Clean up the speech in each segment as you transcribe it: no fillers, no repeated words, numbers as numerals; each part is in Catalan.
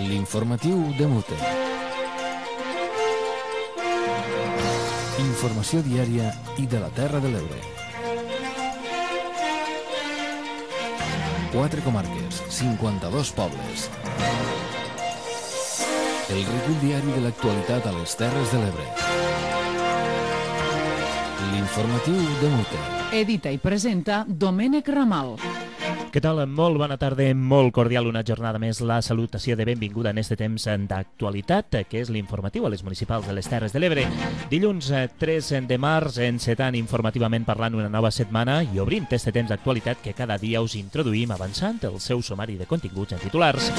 L'informatiu de Mute. Informació diària i de la Terra de l'Ebre. 4 comarques, 52 pobles. El recull diari de l'actualitat a les Terres de l'Ebre. L'informatiu de Mute. Edita i presenta Domènec Ramal. Què tal? Molt bona tarda, molt cordial, una jornada més, la salutació de benvinguda en este temps d'actualitat, que és l'informatiu a les municipals de les Terres de l'Ebre. Dilluns 3 de març, encetant informativament parlant una nova setmana i obrint este temps d'actualitat que cada dia us introduïm avançant el seu sumari de continguts en titulars.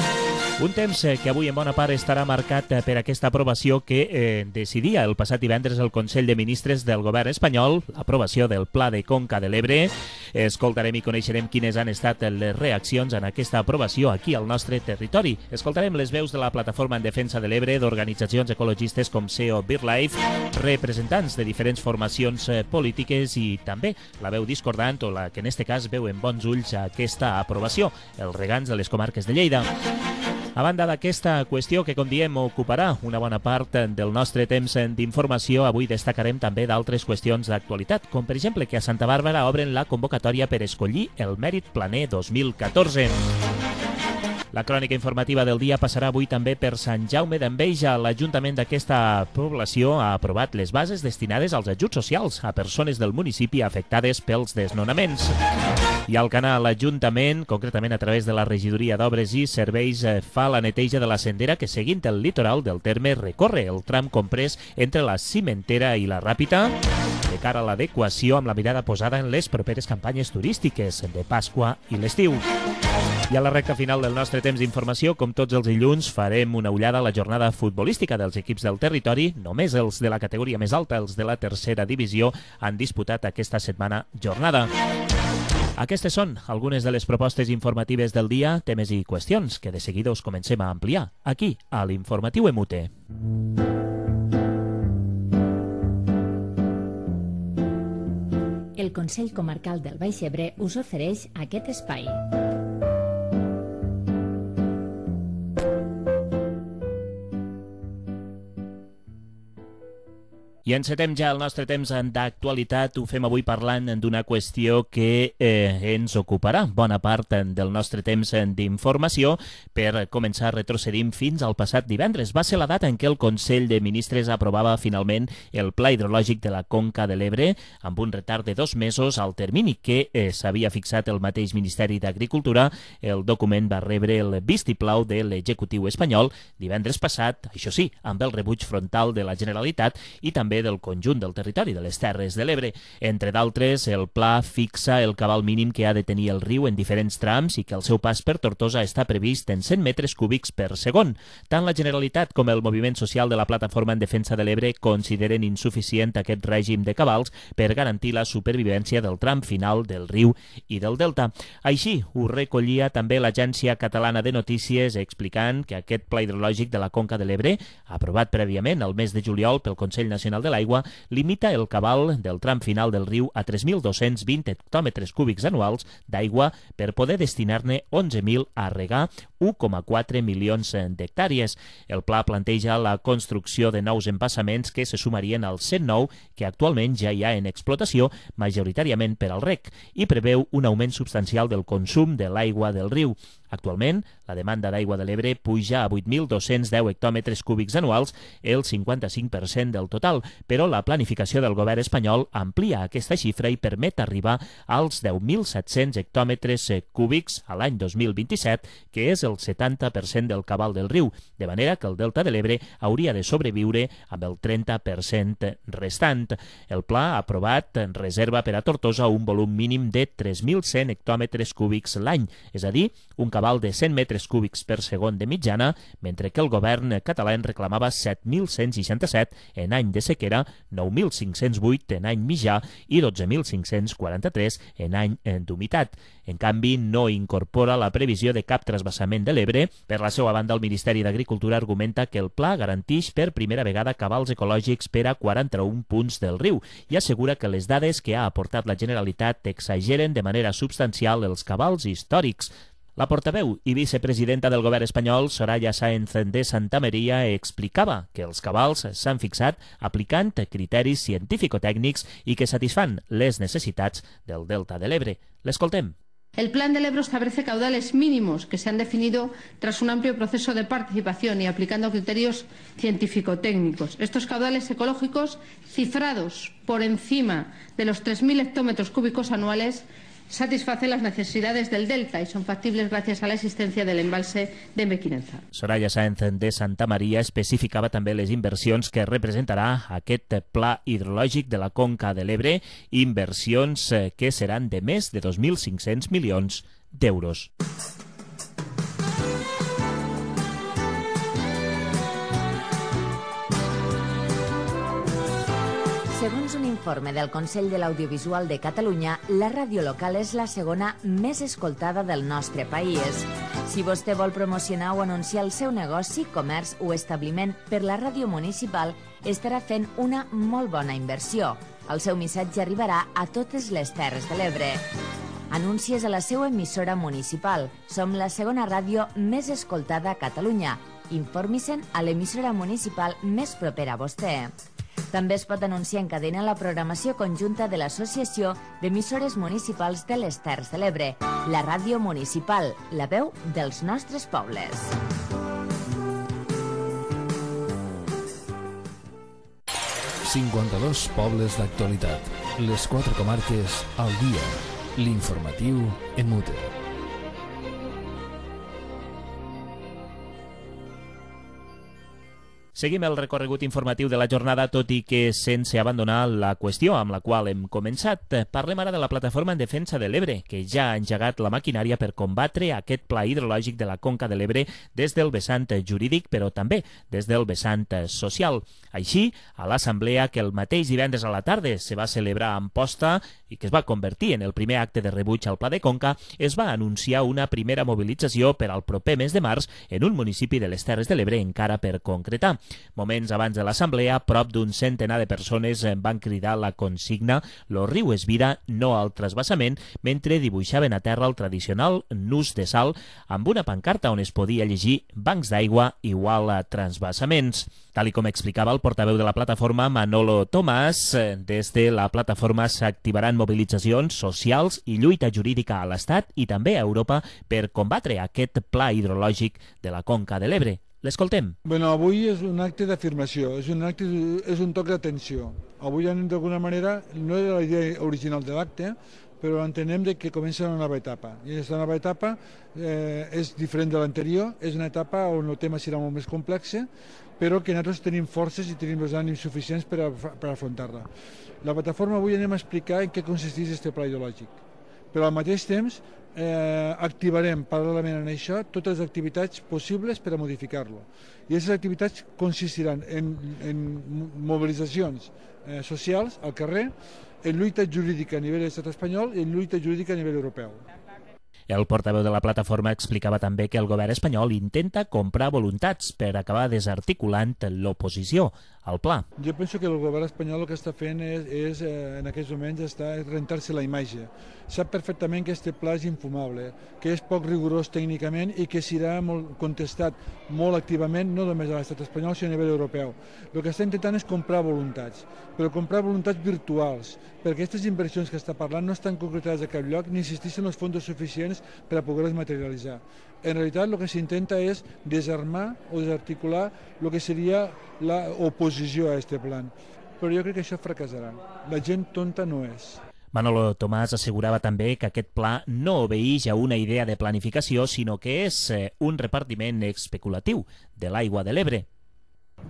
Un temps que avui en bona part estarà marcat per aquesta aprovació que decidia el passat divendres el Consell de Ministres del Govern espanyol, l'aprovació del Pla de Conca de l'Ebre. Escoltarem i coneixerem quines han estat les reaccions en aquesta aprovació aquí al nostre territori. Escoltarem les veus de la Plataforma en Defensa de l'Ebre, d'organitzacions ecologistes com SEO BirdLife, representants de diferents formacions polítiques i també la veu discordant o la que en este cas veu en bons ulls aquesta aprovació, els regants de les comarques de Lleida. A banda d'aquesta qüestió que, com diem, ocuparà una bona part del nostre temps d'informació, avui destacarem també d'altres qüestions d'actualitat, com per exemple que a Santa Bàrbara obren la convocatòria per escollir el Mèrit Planer 2014. La crònica informativa del dia passarà avui també per Sant Jaume d'Enveja. L'Ajuntament d'aquesta població ha aprovat les bases destinades als ajuts socials a persones del municipi afectades pels desnonaments. I al canal l'Ajuntament, concretament a través de la Regidoria d'Obres i Serveis, fa la neteja de la sendera que, seguint el litoral del terme, recorre el tram comprès entre la Cimentera i la Ràpita, de cara a l'adequació amb la mirada posada en les properes campanyes turístiques de Pasqua i l'estiu. I a la recta final del nostre temps d'informació, com tots els dilluns, farem una ullada a la jornada futbolística dels equips del territori. Només els de la categoria més alta, els de la tercera divisió, han disputat aquesta setmana jornada. Aquestes són algunes de les propostes informatives del dia, temes i qüestions que de seguida us comencem a ampliar aquí, a l'Informatiu Emute. El Consell Comarcal del Baix Ebre us ofereix aquest espai. I encetem ja el nostre temps d'actualitat. Ho fem avui parlant d'una qüestió que ens ocuparà bona part del nostre temps d'informació. Per començar, retrocedim fins al passat divendres. Va ser la data en què el Consell de Ministres aprovava finalment el Pla Hidrològic de la Conca de l'Ebre, amb un retard de 2 mesos al termini que s'havia fixat el mateix Ministeri d'Agricultura. El document va rebre el vistiplau de l'executiu espanyol divendres passat, això sí, amb el rebuig frontal de la Generalitat i també del conjunt del territori de les Terres de l'Ebre. Entre d'altres, el pla fixa el cabal mínim que ha de tenir el riu en diferents trams i que el seu pas per Tortosa està previst en 100 metres cúbics per segon. Tant la Generalitat com el moviment social de la Plataforma en Defensa de l'Ebre consideren insuficient aquest règim de cabals per garantir la supervivència del tram final del riu i del delta. Així ho recollia també l'Agència Catalana de Notícies, explicant que aquest pla hidrològic de la Conca de l'Ebre, aprovat prèviament el mes de juliol pel Consell Nacional de l'Aigua, limita el cabal del tram final del riu a 3.220 hectòmetres cúbics anuals d'aigua per poder destinar-ne 11.000 a regar 1,4 milions d'hectàrees. El pla planteja la construcció de nous embassaments que se sumarien als 109 que actualment ja hi ha en explotació, majoritàriament per al reg, i preveu un augment substancial del consum de l'aigua del riu. Actualment, la demanda d'aigua de l'Ebre puja a 8.210 hectòmetres cúbics anuals, el 55% del total, però la planificació del govern espanyol amplia aquesta xifra i permet arribar als 10.700 hectòmetres cúbics a l'any 2027, que és el 70% del cabal del riu, de manera que el delta de l'Ebre hauria de sobreviure amb el 30% restant. El pla aprovat reserva per a Tortosa un volum mínim de 3.100 hectòmetres cúbics l'any, és a dir, un cabal de 100 metres cúbics per segon de mitjana, mentre que el govern català en reclamava 7.167 en any de sequera, 9.508 en any mitjà i 12.543 en any d'humitat. En canvi, no incorpora la previsió de cap trasbassament de l'Ebre. Per la seva banda, el Ministeri d'Agricultura argumenta que el pla garanteix per primera vegada cabals ecològics per a 41 punts del riu i assegura que les dades que ha aportat la Generalitat exageren de manera substancial els cabals històrics. La portaveu i vicepresidenta del govern espanyol, Soraya Sáenz de Santamaría, explicava que els cabals s'han fixat aplicant criteris científico-tècnics i que satisfan les necessitats del Delta de l'Ebre. L'escoltem. El Plan del Ebro establece caudales mínimos que se han definido tras un amplio proceso de participación y aplicando criterios científico-técnicos. Estos caudales ecológicos, cifrados por encima de los 3.000 hectómetros cúbicos anuales, satisfacen las necesidades del delta y son factibles gracias a la existencia del embalse de Mequinenza. Soraya Sáenz de Santamaría especificava també les inversions que representarà aquest pla hidrològic de la Conca de l'Ebre, inversions que seran de més de 2.500 milions d'euros. Segons un informe del Consell de l'Audiovisual de Catalunya, la ràdio local és la segona més escoltada del nostre país. Si vostè vol promocionar o anunciar el seu negoci, comerç o establiment per la ràdio municipal, estarà fent una molt bona inversió. El seu missatge arribarà a totes les Terres de l'Ebre. Anuncies a la seva emissora municipal. Som la segona ràdio més escoltada a Catalunya. Informi-se'n a l'emissora municipal més propera a vostè. També es pot anunciar en cadena la programació conjunta de l'Associació d'Emissores Municipals de les Terres de l'Ebre, la ràdio municipal, la veu dels nostres pobles. ...52 pobles d'actualitat. Les 4 comarques al dia. L'informatiu en mute. Seguim el recorregut informatiu de la jornada, tot i que sense abandonar la qüestió amb la qual hem començat. Parlem ara de la Plataforma en Defensa de l'Ebre, que ja ha engegat la maquinària per combatre aquest pla hidrològic de la Conca de l'Ebre des del vessant jurídic, però també des del vessant social. Així, a l'assemblea que el mateix divendres a la tarda se va celebrar a Amposta i que es va convertir en el primer acte de rebuig al Pla de Conca, es va anunciar una primera mobilització per al proper mes de març en un municipi de les Terres de l'Ebre encara per concretar. Moments abans de l'assemblea, prop d'un centenar de persones van cridar la consigna «Lo riu es vira, no al trasbassament», mentre dibuixaven a terra el tradicional nus de sal amb una pancarta on es podia llegir «Bancs d'aigua igual a transvassaments». Tal com explicava el portaveu de la plataforma, Manolo Tomàs, des de la plataforma s'activaran mobilitzacions socials i lluita jurídica a l'Estat i també a Europa per combatre aquest pla hidrològic de la Conca de l'Ebre. L'escoltem. Bueno, avui és un acte d'afirmació, és un toc d'atenció. Avui, d'alguna manera, no era la idea original de l'acte, però entenem que comença una nova etapa. I aquesta nova etapa és diferent de l'anterior, és una etapa on el tema serà molt més complex, però que nosaltres tenim forces i tenim els ànims suficients per afrontar-la. La plataforma avui anem a explicar en què consisteix aquest pla hidrològic, però al mateix temps activarem paral·lelament en això totes les activitats possibles per a modificar-lo. I aquestes activitats consistiran en mobilitzacions socials al carrer, en lluita jurídica a nivell de l'estat espanyol i en lluita jurídica a nivell europeu. El portaveu de la plataforma explicava també que el govern espanyol intenta comprar voluntats per acabar desarticulant l'oposició al pla. Jo penso que el govern espanyol el que està fent és en aquests moments, rentar-se la imatge. Sap perfectament que aquest pla és infumable, que és poc rigorós tècnicament i que serà contestat molt activament, no només a l'estat espanyol, sinó a nivell europeu. El que està intentant és comprar voluntats, però comprar voluntats virtuals, perquè aquestes inversions que està parlant no estan concretades a cap lloc ni existeixen els fons suficients per a poder-les materialitzar. En realitat el que s'intenta és desarmar o desarticular el que seria l'oposició a aquest plan. Però jo crec que això fracassarà. La gent tonta no és. Manolo Tomàs assegurava també que aquest pla no obeeix a una idea de planificació, sinó que és un repartiment especulatiu de l'aigua de l'Ebre.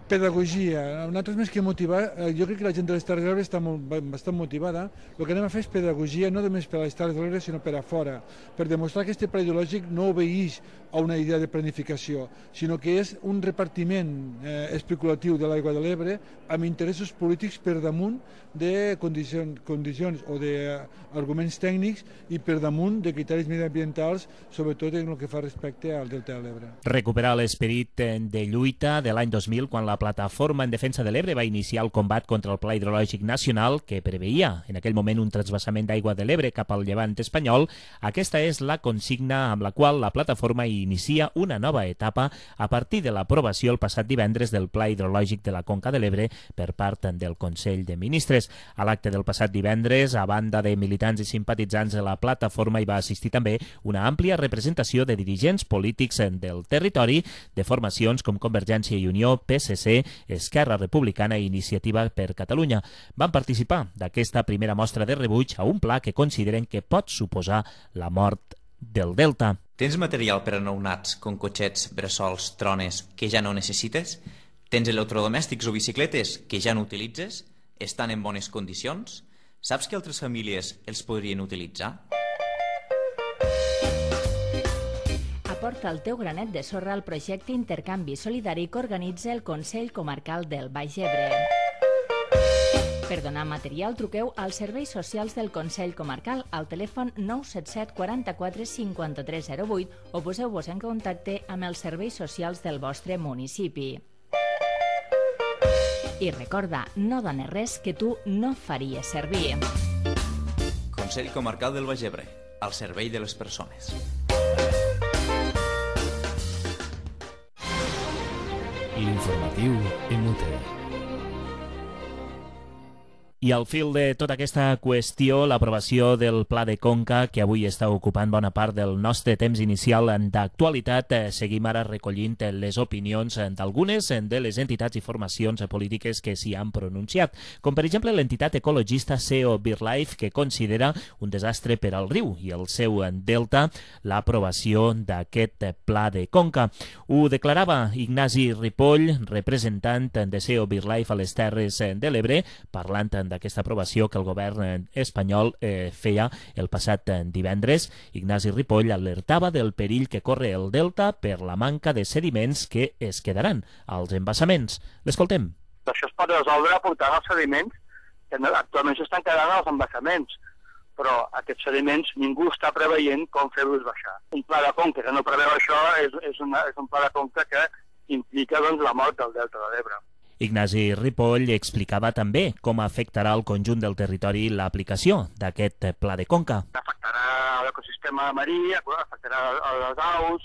Pedagogia. Nosaltres més que motivar, jo crec que la gent de les Terres de l'Ebre està bastant motivada. El que anem a fer és pedagogia no només per a les Terres de l'Ebre sinó per a fora, per demostrar que aquest pla ideològic no obeeix a una idea de planificació, sinó que és un repartiment especulatiu de l'aigua de l'Ebre amb interessos polítics per damunt de condicions o d'arguments tècnics i per damunt de criteris mediambientals, sobretot en el que fa respecte al Delta de l'Ebre. Recuperar l'esperit de lluita de l'any 2000, quan la Plataforma en Defensa de l'Ebre va iniciar el combat contra el Pla Hidrològic Nacional, que preveia en aquell moment un transvasament d'aigua de l'Ebre cap al llevant espanyol. Aquesta és la consigna amb la qual la plataforma inicia una nova etapa a partir de l'aprovació el passat divendres del Pla Hidrològic de la Conca de l'Ebre per part del Consell de Ministres. A l'acte del passat divendres, a banda de militants i simpatitzants de la plataforma, hi va assistir també una àmplia representació de dirigents polítics del territori, de formacions com Convergència i Unió, PSC, Esquerra Republicana i Iniciativa per Catalunya. Van participar d'aquesta primera mostra de rebuig a un pla que consideren que pot suposar la mort del Delta. Tens material per a nounats, com cotxets, bressols, trones, que ja no necessites? Tens electrodomèstics o bicicletes que ja no utilitzes? Estan en bones condicions? Saps que altres famílies els podrien utilitzar? Aporta el teu granet de sorra al projecte Intercanvi Solidari que organitza el Consell Comarcal del Baix Ebre. Per donar material, truqueu als serveis socials del Consell Comarcal al telèfon 977 44 53 08 o poseu-vos en contacte amb els serveis socials del vostre municipi. I recorda, no dones res que tu no faries servir. Consell Comarcal del Baix Ebre, al servei de les persones. L'informatiu MUT. I al fil de tota aquesta qüestió, l'aprovació del Pla de Conca, que avui està ocupant bona part del nostre temps inicial d'actualitat, seguim ara recollint les opinions d'algunes de les entitats i formacions polítiques que s'hi han pronunciat, com per exemple l'entitat ecologista CEO BirdLife, que considera un desastre per al riu i el seu delta l'aprovació d'aquest Pla de Conca. Ho declarava Ignasi Ripoll, representant de CEO BirdLife a les Terres de l'Ebre, parlant d'aquesta aprovació que el govern espanyol feia el passat divendres. Ignasi Ripoll alertava del perill que corre el delta per la manca de sediments que es quedaran als embassaments. L'escoltem. Això es pot resoldre aportant els sediments que actualment s'estan quedant als embassaments, però aquests sediments ningú està preveient com fer-los baixar. Un pla de conca que no preveu això és un pla de conca que implica la mort del delta de l'Ebre. Ignasi Ripoll explicava també com afectarà el conjunt del territori l'aplicació d'aquest pla de conca. Afectarà l'ecosistema marí, afectarà les aus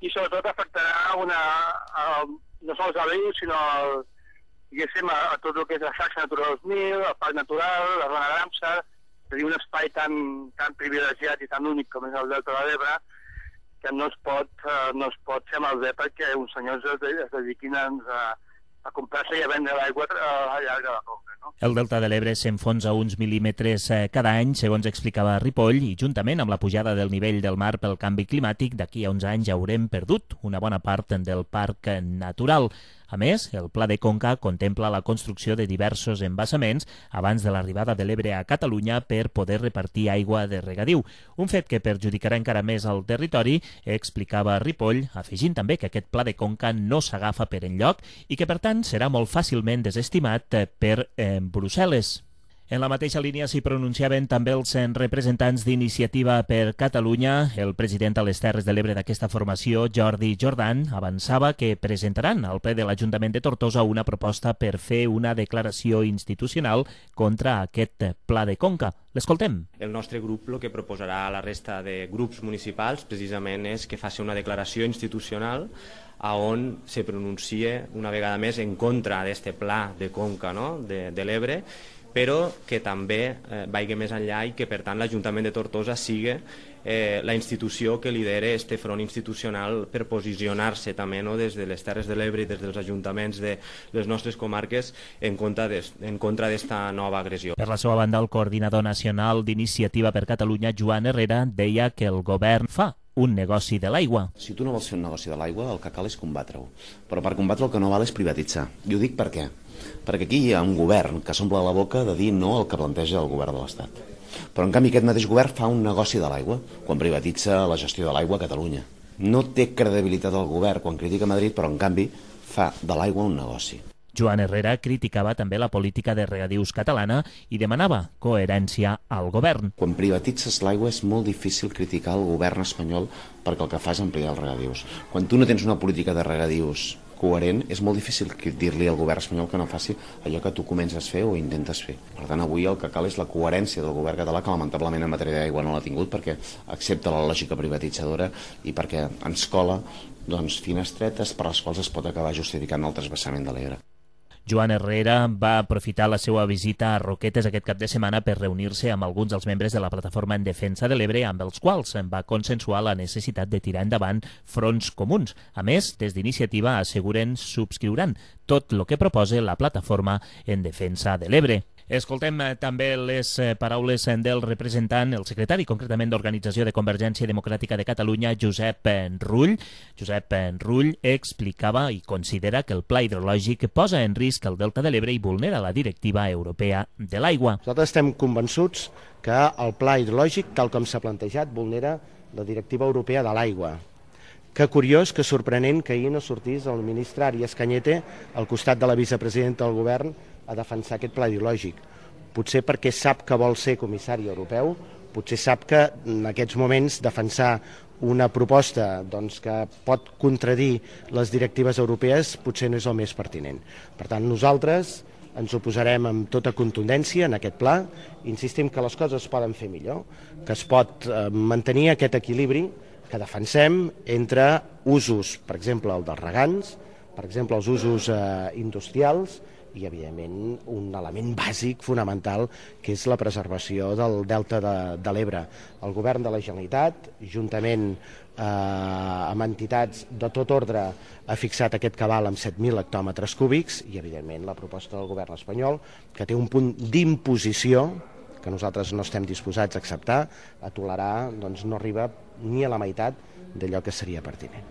i sobretot afectarà no sols el riu, sinó a tot el que és la xarxa Natura 2000, el Parc Natural, la zona d'Amsar, és a dir, un espai tan privilegiat i tan únic com és el Delta de l'Ebre, que no es pot fer malbé perquè uns senyors es dediquin a comprar-se i a vendre l'aigua al llarg de la conca. No? El delta de l'Ebre s'enfonsa uns mil·límetres cada any, segons explicava Ripoll, i juntament amb la pujada del nivell del mar pel canvi climàtic, d'aquí a uns anys haurem perdut una bona part del parc natural. A més, el Pla de Conca contempla la construcció de diversos embassaments abans de l'arribada de l'Ebre a Catalunya per poder repartir aigua de regadiu, un fet que perjudicarà encara més el territori, explicava Ripoll, afegint també que aquest Pla de Conca no s'agafa per enlloc i que, per tant, serà molt fàcilment desestimat per Brussel·les. En la mateixa línia s'hi pronunciaven també els representants d'Iniciativa per Catalunya. El president a les Terres de l'Ebre d'aquesta formació, Jordi Jordan, avançava que presentaran al ple de l'Ajuntament de Tortosa una proposta per fer una declaració institucional contra aquest Pla de Conca. L'escoltem. El nostre grup el que proposarà a la resta de grups municipals precisament és que faci una declaració institucional on se pronuncie una vegada més en contra d'aquest Pla de Conca, no? de l'Ebre, però que també vagi més enllà i que, per tant, l'Ajuntament de Tortosa sigui la institució que lidera este front institucional per posicionar-se també des de les Terres de l'Ebre i des dels ajuntaments de les nostres comarques en contra d'esta nova agressió. Per la seva banda, el coordinador nacional d'Iniciativa per Catalunya, Joan Herrera, deia que el govern fa un negoci de l'aigua. Si tu no vols fer un negoci de l'aigua, el que cal és combatre-ho. Però per combatre el que no val és privatitzar. I ho dic per què? Perquè aquí hi ha un govern que s'omple la boca de dir no al que planteja el govern de l'Estat. Però en canvi aquest mateix govern fa un negoci de l'aigua quan privatitza la gestió de l'aigua a Catalunya. No té credibilitat el govern quan critica Madrid, però en canvi fa de l'aigua un negoci. Joan Herrera criticava també la política de regadius catalana i demanava coherència al govern. Quan privatitzes l'aigua és molt difícil criticar el govern espanyol perquè el que fa és ampliar els regadius. Quan tu no tens una política de regadius coherent, és molt difícil dir-li al govern espanyol que no faci allò que tu comences a fer o intentes fer. Per tant, avui el que cal és la coherència del govern català, que lamentablement en matèria d'aigua no l'ha tingut perquè accepta la lògica privatitzadora i perquè ens cola finestretes per les quals es pot acabar justificant el transvasament de l'Ebre. Joan Herrera va aprofitar la seva visita a Roquetes aquest cap de setmana per reunir-se amb alguns dels membres de la plataforma en defensa de l'Ebre, amb els quals va consensuar la necessitat de tirar endavant fronts comuns. A més, des d'Iniciativa asseguren subscriuran tot el que proposa la plataforma en defensa de l'Ebre. Escoltem també les paraules del representant, el secretari concretament d'Organització de Convergència Democràtica de Catalunya, Josep Rull. Josep Rull explicava i considera que el pla hidrològic posa en risc el Delta de l'Ebre i vulnera la Directiva Europea de l'Aigua. Nosaltres estem convençuts que el pla hidrològic, tal com s'ha plantejat, vulnera la Directiva Europea de l'Aigua. Que curiós, que sorprenent que ahir no sortís el ministre Arias Cañete al costat de la vicepresidenta del govern a defensar aquest pla ideològic. Potser perquè sap que vol ser comissari europeu, potser sap que en aquests moments defensar una proposta que pot contradir les directives europees potser no és el més pertinent. Per tant, nosaltres ens oposarem amb tota contundència en aquest pla, insistim que les coses es poden fer millor, que es pot mantenir aquest equilibri que defensem entre usos, per exemple, el dels regants, per exemple, els usos industrials, i, evidentment, un element bàsic, fonamental, que és la preservació del delta de l'Ebre. El govern de la Generalitat, juntament amb entitats de tot ordre, ha fixat aquest cabal amb 7.000 hectòmetres cúbics i, evidentment, la proposta del govern espanyol, que té un punt d'imposició que nosaltres no estem disposats a acceptar, a tolerar, no arriba ni a la meitat d'allò que seria pertinent.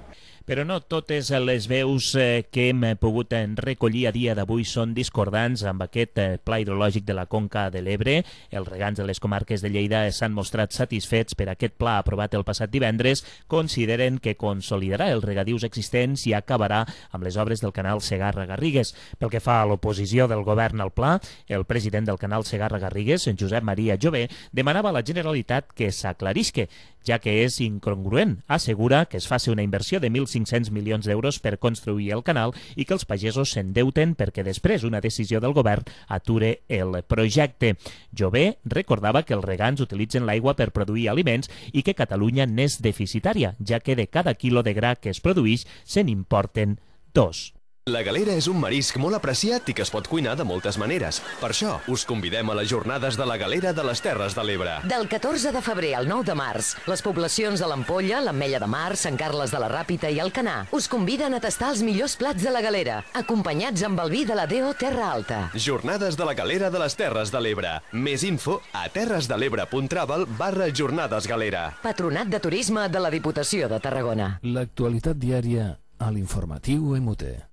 Però no totes les veus que hem pogut recollir a dia d'avui són discordants amb aquest pla hidrològic de la Conca de l'Ebre. Els regants de les comarques de Lleida s'han mostrat satisfets per aquest pla aprovat el passat divendres. Consideren que consolidarà els regadius existents i acabarà amb les obres del canal Segarra-Garrigues. Pel que fa a l'oposició del govern al pla, el president del canal Segarra-Garrigues, Josep Maria Jové, demanava a la Generalitat que s'aclarisque, ja que és incongruent. Assegura que es faci una inversió de 1.500 milions d'euros per construir el canal i que els pagesos s'endeuten perquè després una decisió del govern ature el projecte. Jové recordava que els regants utilitzen l'aigua per produir aliments i que Catalunya n'és deficitària, ja que de cada quilo de gra que es produeix se n'importen 2. La galera és un marisc molt apreciat i que es pot cuinar de moltes maneres. Per això, us convidem a les jornades de la galera de les Terres de l'Ebre. Del 14 de febrer al 9 de març, les poblacions de l'Ampolla, l'Ametlla de Mar, Sant Carles de la Ràpita i Alcanar us conviden a tastar els millors plats de la galera, acompanyats amb el vi de la DO Terra Alta. Jornades de la galera de les Terres de l'Ebre. Més info a terresdelebre.travel/jornadesgalera. Patronat de Turisme de la Diputació de Tarragona. L'actualitat diària a l'informatiu MT.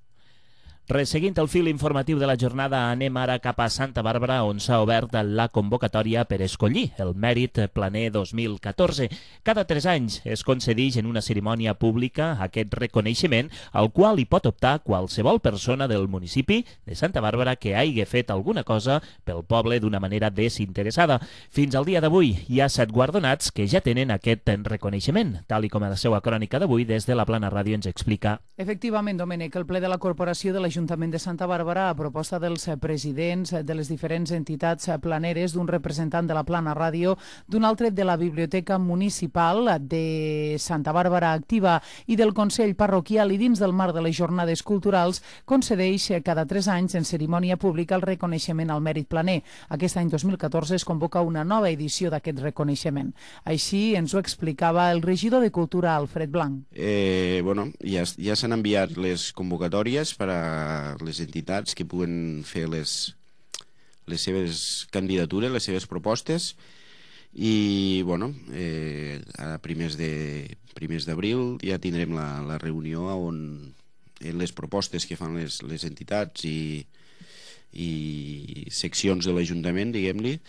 Resseguint el fil informatiu de la jornada, anem ara cap a Santa Bàrbara, on s'ha obert la convocatòria per escollir el Mèrit Planer 2014. Cada 3 anys es concedeix en una cerimònia pública aquest reconeixement, al qual hi pot optar qualsevol persona del municipi de Santa Bàrbara que hagi fet alguna cosa pel poble d'una manera desinteressada. Fins al dia d'avui hi ha 7 guardonats que ja tenen aquest reconeixement, tal i com a la seva crònica d'avui des de la Plana Ràdio ens explica. Efectivament, Domènec, el ple de la Corporació de l'Ajuntament de Santa Bàrbara, a proposta dels presidents de les diferents entitats planeres, d'un representant de la Plana Ràdio, d'un altre de la Biblioteca Municipal de Santa Bàrbara Activa i del Consell Parroquial, i dins del marc de les jornades culturals concedeix cada 3 anys en cerimònia pública el reconeixement al mèrit planer. Aquest any 2014 es convoca una nova edició d'aquest reconeixement. Així ens ho explicava el regidor de Cultura, Alfred Blanc. Ja s'han enviat les convocatòries per a les entitats que puguen fer les seves candidatures, les seves propostes, i a primers d'abril ja tindrem la reunió on les propostes que fan les entitats i i seccions de l'Ajuntament, diguem-li,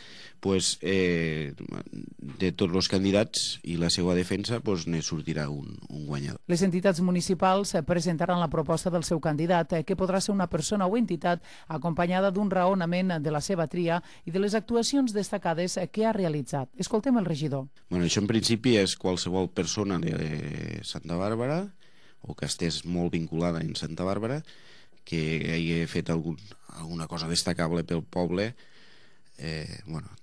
pues, de tots els candidats i la seva defensa pues, ne sortirà un guanyador. Les entitats municipals presentaran la proposta del seu candidat, que podrà ser una persona o entitat acompanyada d'un raonament de la seva tria i de les actuacions destacades que ha realitzat. Escoltem el regidor. Bueno, això en principi és qualsevol persona de Santa Bàrbara o que estés molt vinculada en Santa Bàrbara que hagi fet alguna cosa destacable pel poble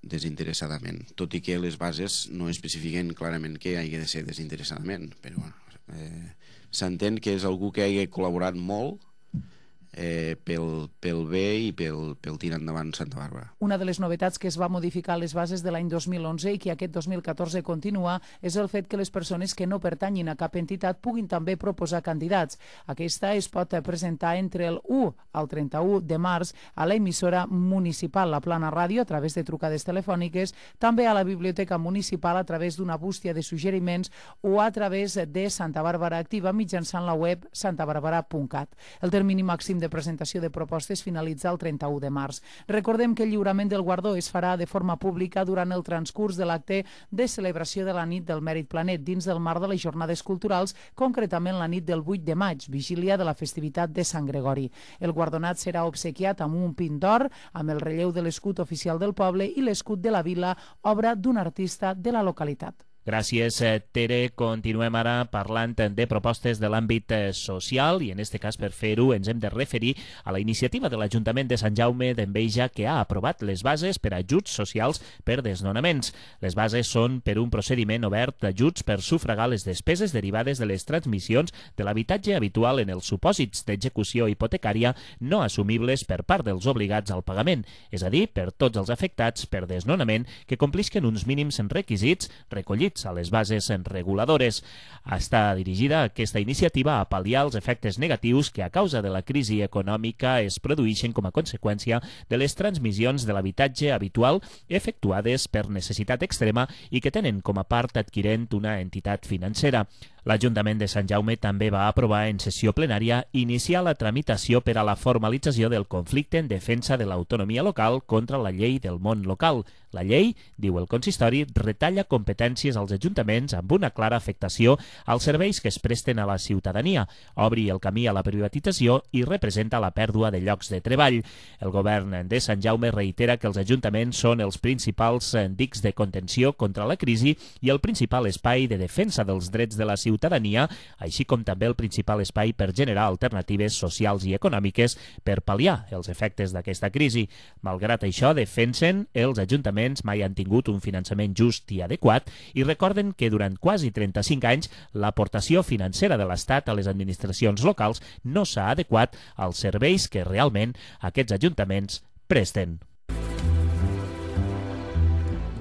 desinteressadament, tot i que les bases no especifiquen clarament que hagi de ser desinteressadament, però s'entén que és algú que hagi col·laborat molt pel bé i pel tirar endavant Santa Bàrbara. Una de les novetats que es va modificar a les bases de l'any 2011 i que aquest 2014 continua és el fet que les persones que no pertanyin a cap entitat puguin també proposar candidats. Aquesta es pot presentar entre el 1 al 31 de març a l'emissora municipal La Plana Ràdio a través de trucades telefòniques, també a la biblioteca municipal a través d'una bústia de suggeriments o a través de Santa Bàrbara Activa mitjançant la web santabarbara.cat. El termini màxim de presentació de propostes finalitza el 31 de març. Recordem que el lliurament del guardó es farà de forma pública durant el transcurs de l'acte de celebració de la nit del Mèrit Planet dins del marc de les jornades culturals, concretament la nit del 8 de maig, vigília de la festivitat de Sant Gregori. El guardonat serà obsequiat amb un pin d'or, amb el relleu de l'escut oficial del poble i l'escut de la vila, obra d'un artista de la localitat. Gràcies, Tere. Continuem ara parlant de propostes de l'àmbit social i en aquest cas per fer-ho ens hem de referir a la iniciativa de l'Ajuntament de Sant Jaume d'Enveja que ha aprovat les bases per a ajuts socials per desnonaments. Les bases són per un procediment obert d'ajuts per sufragar les despeses derivades de les transmissions de l'habitatge habitual en els supòsits d'execució hipotecària no assumibles per part dels obligats al pagament, és a dir, per tots els afectats per desnonament que complisquen uns mínims requisits recollits a les bases reguladores. Està dirigida aquesta iniciativa a pal·liar els efectes negatius que a causa de la crisi econòmica es produeixen com a conseqüència de les transmissions de l'habitatge habitual efectuades per necessitat extrema i que tenen com a part adquirent una entitat financera. L'Ajuntament de Sant Jaume també va aprovar en sessió plenària iniciar la tramitació per a la formalització del conflicte en defensa de l'autonomia local contra la llei del món local. La llei, diu el consistori, retalla competències als ajuntaments amb una clara afectació als serveis que es presten a la ciutadania, obri el camí a la privatització i representa la pèrdua de llocs de treball. El govern de Sant Jaume reitera que els ajuntaments són els principals dics de contenció contra la crisi i el principal espai de defensa dels drets de la ciutadania, així com també el principal espai per generar alternatives socials i econòmiques per pal·liar els efectes d'aquesta crisi. Malgrat això, defensen els ajuntaments mai han tingut un finançament just i adequat i recorden que durant quasi 35 anys l'aportació financera de l'Estat a les administracions locals no s'ha adequat als serveis que realment aquests ajuntaments presten.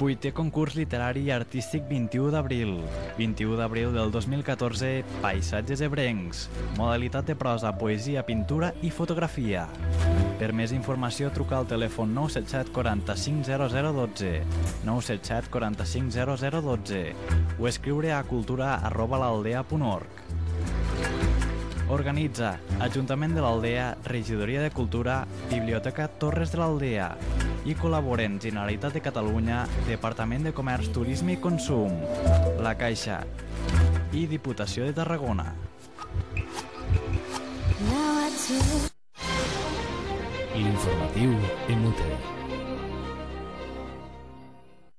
8è concurs literari i artístic 21 d'abril. 21 d'abril del 2014, Paisatges ebrencs. Modalitat de prosa, poesia, pintura i fotografia. Per més informació, truca al telèfon 977 45 0012, 977 45 0012 o escriure a cultura@l'aldea.org. Organitza Ajuntament de l'Aldea, Regidoria de Cultura, Biblioteca Torres de l'Aldea i col·laboren Generalitat de Catalunya, Departament de Comerç, Turisme i Consum, La Caixa i Diputació de Tarragona. L'informatiu en UTE.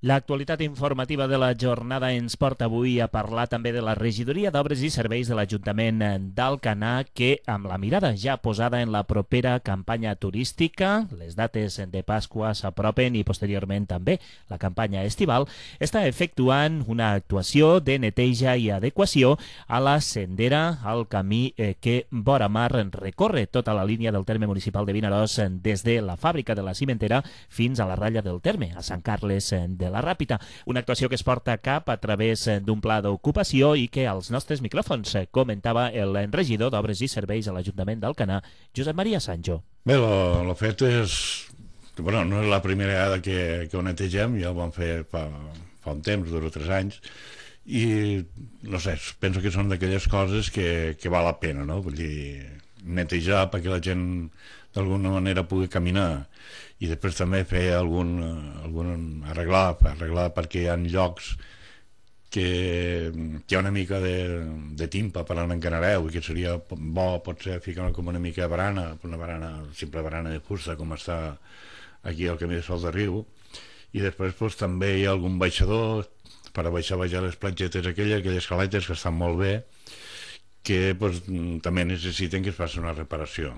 L'actualitat informativa de la jornada ens porta avui a parlar també de la Regidoria d'Obres i Serveis de l'Ajuntament d'Alcanar, que, amb la mirada ja posada en la propera campanya turística, les dates de Pasqua s'apropen i posteriorment també la campanya estival, està efectuant una actuació de neteja i adequació a la sendera, al camí que vora mar recorre tota la línia del terme municipal de Vinaròs des de la fàbrica de la cimentera fins a la ratlla del terme, a Sant Carles de la Ràpita. Una actuació que es porta a cap a través d'un pla d'ocupació i que als nostres micròfons comentava el regidor d'Obres i Serveis a l'Ajuntament d'Alcanar, Josep Maria Sancho. Bé, el fet és... Bueno, no és la primera vegada que ho netegem, ja ho vam fer fa un temps, 2 o 3 anys, i no sé, penso que són d'aquelles coses que val la pena, no? Vull dir, netejar perquè la gent d'alguna manera pugui caminar, i després també fer arreglar perquè hi ha llocs que hi ha una mica de timpa per on encanareu, i que seria bo potser ficar com una mica de barana, simple barana de fusta, com està aquí al camí de Sol de Riu, i després també hi ha algun baixador per a baixar les platgetes aquelles caletes que estan molt bé, que també necessiten que es faci una reparació.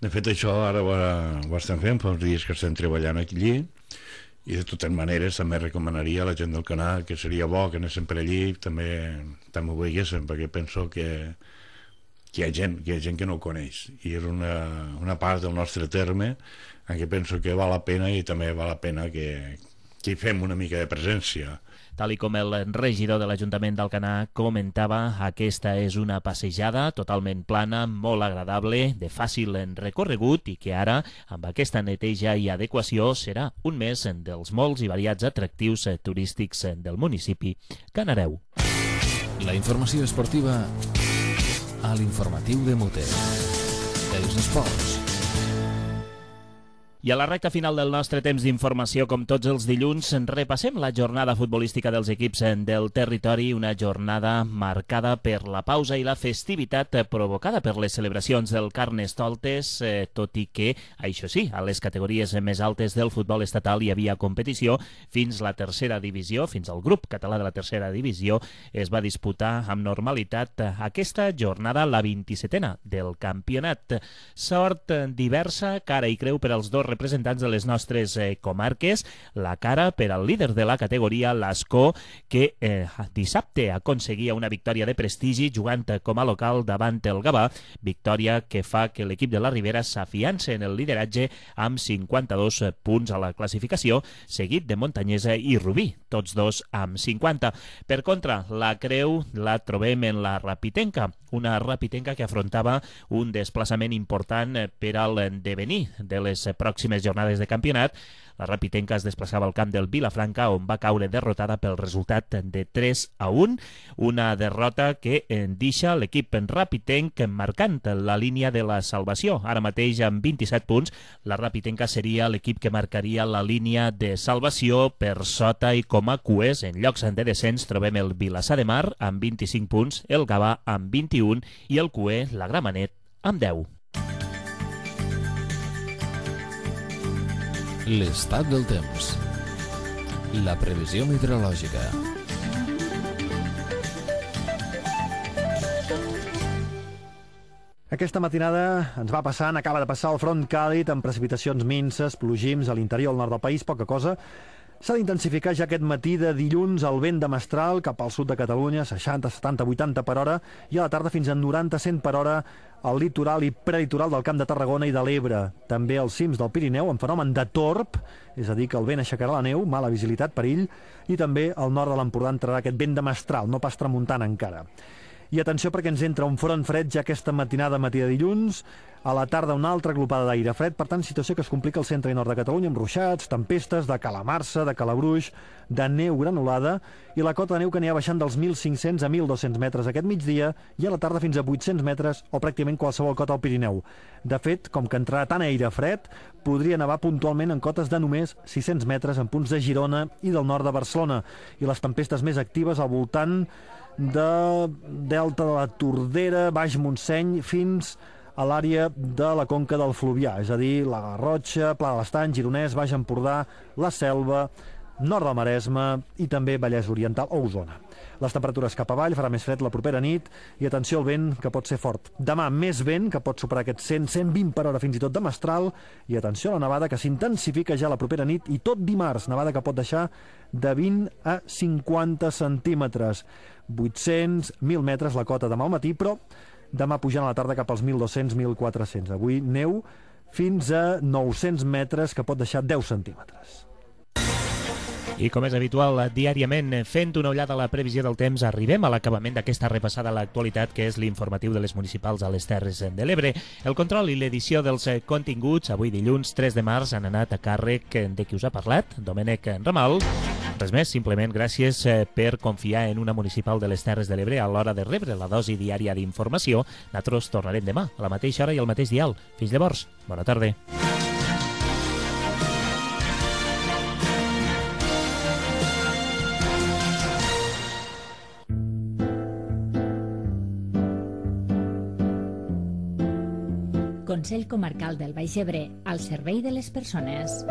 De fet, això ara ho estem fent, fa uns dies que estem treballant allí, i de totes maneres també recomanaria a la gent del canal que seria bo que anéssim per allí, també ho veiéssim, perquè penso que hi ha gent que no ho coneix, i és una part del nostre terme en què penso que val la pena, i també val la pena que hi fem una mica de presència. Tal i com el regidor de l'Ajuntament d'Alcanar comentava, aquesta és una passejada totalment plana, molt agradable, de fàcil recorregut, i que ara, amb aquesta neteja i adequació, serà un més dels molts i variats atractius turístics del municipi que anareu. La informació esportiva a l'informatiu de Mute. Els esports. I a la recta final del nostre temps d'informació, com tots els dilluns, repassem la jornada futbolística dels equips del territori, una jornada marcada per la pausa i la festivitat provocada per les celebracions del Carnestoltes, tot i que, això sí, a les categories més altes del futbol estatal hi havia competició fins la tercera divisió, fins al grup català de la tercera divisió, es va disputar amb normalitat aquesta jornada, la 27a del campionat. Sort diversa, cara i creu per als dos representants de les nostres comarques, la cara per al líder de la categoria, l'Ascó, que dissabte aconseguia una victòria de prestigi jugant com a local davant el Gavà, victòria que fa que l'equip de la Ribera s'afiança en el lideratge amb 52 punts a la classificació, seguit de Montanyesa i Rubí, tots dos amb 50. Per contra, la creu la trobem en la Rapitenca, una Rapitenca que afrontava un desplaçament important per al devenir de les pròximes jornades de campionat. La Rapitenca es desplaçava al camp del Vilafranca, on va caure derrotada pel resultat de 3-1, una derrota que deixa l'equip rapitenc marcant la línia de la salvació. Ara mateix, amb 27 punts, la Rapitenca seria l'equip que marcaria la línia de salvació. Per sota i com a cues, en llocs de descens, trobem el Vilassar de Mar amb 25 punts, el Gavà amb 21 i el cuer, la Gramenet, amb 10. L'estat del temps. La previsió meteorològica. Aquesta matinada ens va passant, acaba de passar el front càlid amb precipitacions minses, plogims a l'interior, al nord del país, poca cosa. S'ha d'intensificar ja aquest matí de dilluns el vent de mestral cap al sud de Catalunya, 60, 70, 80 per hora, i a la tarda fins a 90, 100 per hora al litoral i prelitoral del Camp de Tarragona i de l'Ebre. També als cims del Pirineu, amb fenomen de torb, és a dir, que el vent aixecarà la neu, mala visibilitat, perill, i també al nord de l'Empordà entrarà aquest vent de mestral, no pas tramuntant encara. I atenció perquè ens entra un front fred ja aquesta matinada, matí de dilluns, a la tarda una altra glopada d'aire fred, per tant, situació que es complica al centre i nord de Catalunya amb ruixats, tempestes, de calamarsa, de calabruix, de neu granulada, i la cota de neu que anirà baixant dels 1.500 a 1.200 metres aquest migdia i a la tarda fins a 800 metres o pràcticament qualsevol cota al Pirineu. De fet, com que entrarà tant aire fred, podria nevar puntualment en cotes de només 600 metres en punts de Girona i del nord de Barcelona, i les tempestes més actives al voltant de Delta de la Tordera, Baix Montseny, fins a l'àrea de la conca del Fluvià, és a dir, la Garrotxa, Pla de l'Estany, Gironès, Baix Empordà, la Selva, nord del Maresme i també Vallès Oriental o Osona. Les temperatures cap avall, farà més fred la propera nit i atenció al vent, que pot ser fort. Demà més vent, que pot superar aquests 100-120 per hora fins i tot de mestral, i atenció a la nevada, que s'intensifica ja la propera nit i tot dimarts, nevada que pot deixar de 20 a 50 centímetres. 800, 1.000 metres la cota demà al matí, però demà pujant a la tarda cap als 1.200-1.400. Avui neu fins a 900 metres, que pot deixar 10 centímetres. I com és habitual, diàriament, fent una ullada a la previsió del temps, arribem a l'acabament d'aquesta repassada a l'actualitat, que és l'informatiu de les municipals a les Terres de l'Ebre. El control i l'edició dels continguts, avui dilluns 3 de març, han anat a càrrec de qui us ha parlat, Domènec Ramal. Res més, simplement gràcies per confiar en una municipal de les Terres de l'Ebre a l'hora de rebre la dosi diària d'informació. Nosaltres tornarem demà, a la mateixa hora i al mateix dial. Fins llavors, bona tarda. Consell Comarcal del Baix Ebre, al servei de les persones.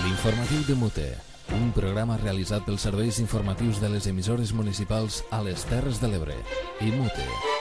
L'informatiu de Mute, un programa realitzat pels serveis informatius de les emissores municipals a les Terres de l'Ebre i Mute.